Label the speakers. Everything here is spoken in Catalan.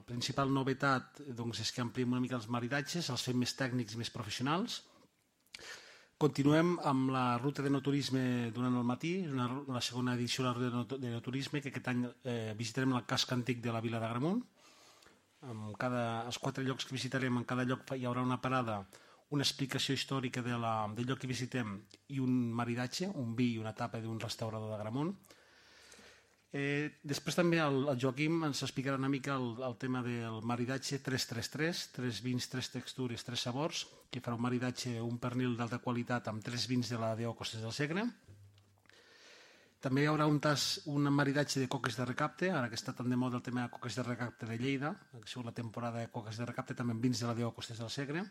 Speaker 1: principal novetat és que ampliem una mica els maridatges, els fem més tècnics i més professionals. Continuem amb la ruta de no turisme durant el matí, la segona edició de la ruta de no turisme, que aquest any visitarem el casc antic de la vila d'Agramunt. Els 4 llocs que visitarem, en cada lloc hi haurà una parada, una explicació històrica del lloc que visitem i un maridatge, un vi i una tapa d'un restaurador d'Agramunt. Després també el Joaquim ens explicarà una mica el tema del maridatge 333, 3 vins, 3 textures, 3 sabors, que farà un maridatge, un pernil d'alta qualitat amb 3 vins de la DO Costes del Segre. També hi haurà un maridatge de coques de recapte, ara que està tan de moda el tema de coques de recapte de Lleida, que ha sigut la temporada de coques de recapte, també amb vins de la DO Costes del Segre.